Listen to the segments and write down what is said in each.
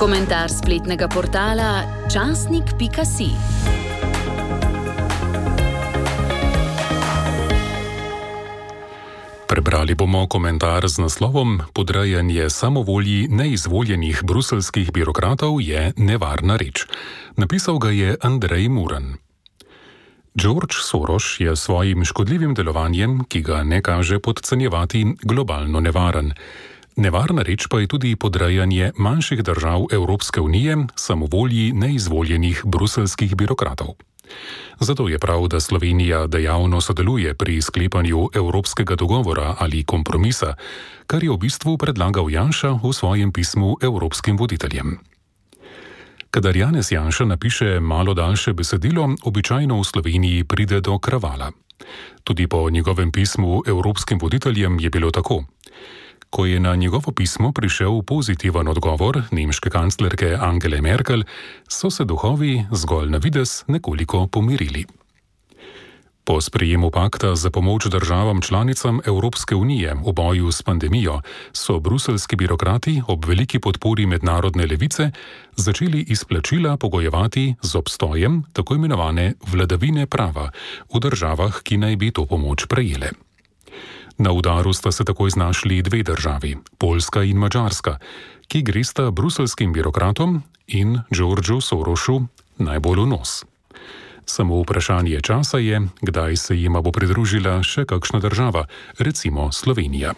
Komentar spletnega portala časnik.si. Prebrali bomo komentar z naslovom Podrejanje samovolji neizvoljenih bruseljskih birokratov je nevarna reč. Napisal ga je Andrej Muran. George Soros je svojim škodljivim delovanjem, ki ga ne kaže podcenjevati, globalno nevaren. Nevarna reč pa je tudi podrejanje manjših držav Evropske unije samovolji neizvoljenih bruseljskih birokratov. Zato je prav, da Slovenija dejavno sodeluje pri sklepanju evropskega dogovora ali kompromisa, kar je v bistvu predlagal Janša v svojem pismu evropskim voditeljem. Kadar Janez Janša napiše malo daljše besedilo, običajno v Sloveniji pride do kravala. Tudi po njegovem pismu evropskim voditeljem je bilo tako. Ko je na njegovo pismo prišel pozitiven odgovor nemške kanclerke Angele Merkel, so se duhovi zgolj na videz nekoliko pomirili. Po sprejemu pakta za pomoč državam članicam Evropske unije v boju s pandemijo so bruseljski birokrati ob veliki podpori mednarodne levice začeli izplačila pogojevati z obstojem tako imenovane vladavine prava v državah, ki naj bi to pomoč prejele. Na udaru sta se takoj znašli dve državi, Poljska in Madžarska, ki gresta bruseljskim birokratom in Georgeu Sorosu najbolj v nos. Samo vprašanje časa je, kdaj se jima bo pridružila še kakšna država, recimo Slovenija.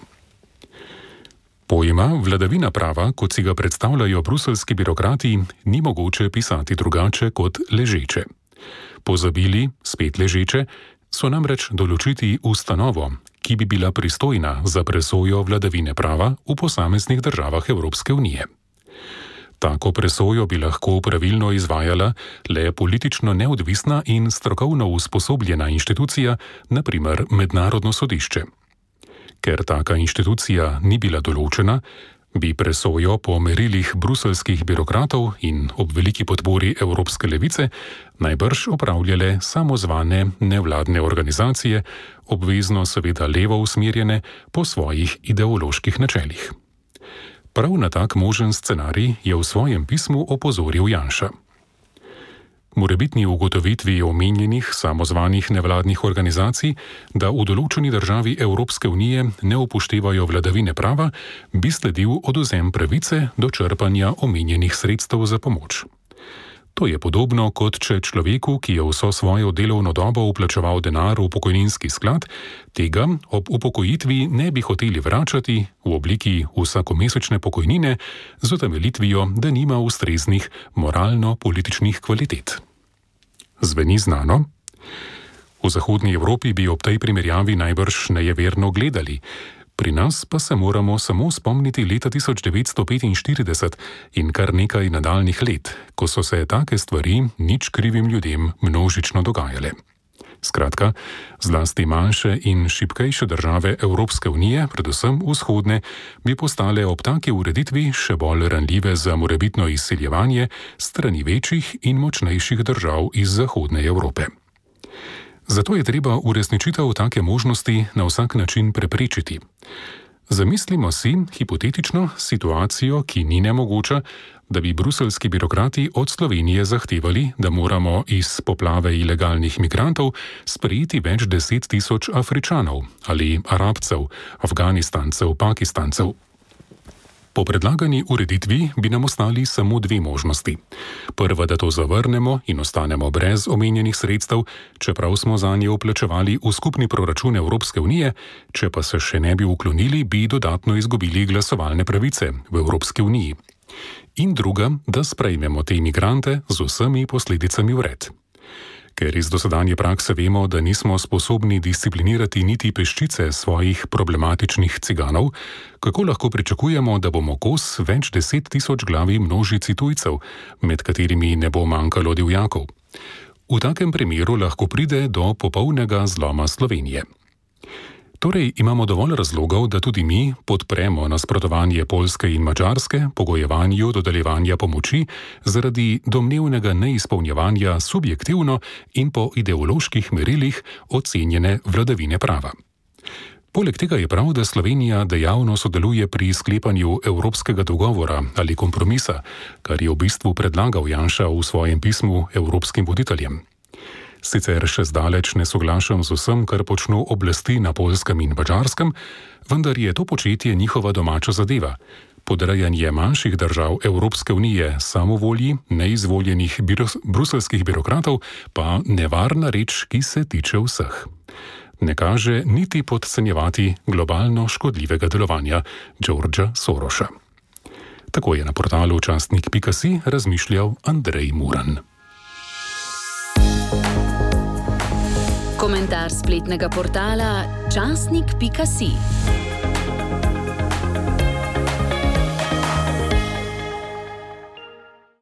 Pojma vladavina prava, kot si ga predstavljajo bruseljski birokrati, ni mogoče pisati drugače kot ležeče. Pozabili, spet ležeče, so namreč določiti ustanovo, ki bi bila pristojna za presojo vladavine prava v posameznih državah Evropske unije. Tako presojo bi lahko pravilno izvajala le politično neodvisna in strokovno usposobljena inštitucija, na primer Mednarodno sodišče. Ker taka inštitucija ni bila določena, bi presojo po merilih bruseljskih birokratov in ob veliki podpori Evropske levice najbrž opravljale samozvane nevladne organizacije, obvezno seveda levo usmerjene po svojih ideoloških načelih. Prav na tak možen scenarij je v svojem pismu opozoril Janša. Morebitni ugotovitvi omenjenih samozvanih nevladnih organizacij, da v določeni državi Evropske unije ne upoštevajo vladavine prava, bi sledil odvzem pravice do črpanja omenjenih sredstev za pomoč. To je podobno, kot če človeku, ki je vso svojo delovno dobo vplačeval denar v pokojninski sklad, tega ob upokojitvi ne bi hoteli vračati v obliki vsakomesečne pokojnine z utemeljitvijo, da nima ustreznih moralno-političnih kvalitet. Zveni znano? V zahodni Evropi bi ob tej primerjavi najbrž nejeverno gledali. Pri nas pa se moramo samo spomniti leta 1945 in kar nekaj nadaljnih let, ko so se take stvari nič krivim ljudem množično dogajale. Skratka, zlasti manjše in šibkejše države Evropske unije, predvsem vzhodne, bi postale ob taki ureditvi še bolj ranljive za morebitno izsiljevanje strani večjih in močnejših držav iz zahodne Evrope. Zato je treba uresničitev take možnosti na vsak način preprečiti. Zamislimo si hipotetično situacijo, ki ni nemogoča, da bi bruseljski birokrati od Slovenije zahtevali, da moramo iz poplave ilegalnih migrantov sprejeti več 10 tisoč Afričanov ali Arabcev, Afganistancev, Pakistancev. Po predlagani ureditvi bi nam ostali samo dve možnosti. Prva, da to zavrnemo in ostanemo brez omenjenih sredstev, čeprav smo zanje vplačevali v skupni proračun Evropske unije, če pa se še ne bi uklonili, bi dodatno izgubili glasovalne pravice v Evropski uniji. In druga, da sprejmemo te imigrante z vsemi posledicami vred. Ker iz dosedanje prakse vemo, da nismo sposobni disciplinirati niti peščice svojih problematičnih ciganov, kako lahko pričakujemo, da bomo kos več 10 tisoč glavi množici tujcev, med katerimi ne bo manjkalo divjakov? V takem primeru lahko pride do popolnega zloma Slovenije. Torej imamo dovolj razlogov, da tudi mi podpremo nasprotovanje Poljske in Madžarske pogojevanju dodeljevanja pomoči zaradi domnevnega neizpolnjevanja subjektivno in po ideoloških merilih ocenjene vladavine prava. Poleg tega je prav, da Slovenija dejavno sodeluje pri sklepanju evropskega dogovora ali kompromisa, kar je v bistvu predlagal Janša v svojem pismu evropskim voditeljem. Sicer še zdaleč ne soglašam z vsem, kar počno oblasti na Poljskem in Madžarskem, vendar je to početje njihova domača zadeva. Podrejanje manjših držav Evropske unije samovolji neizvoljenih bruselskih birokratov pa nevarna reč, ki se tiče vseh. Ne kaže niti podcenjevati globalno škodljivega delovanja Georgea Sorosa. Tako je na portalu časnik.si razmišljal Andrej Muran. Komentar spletnega portala časnik.si.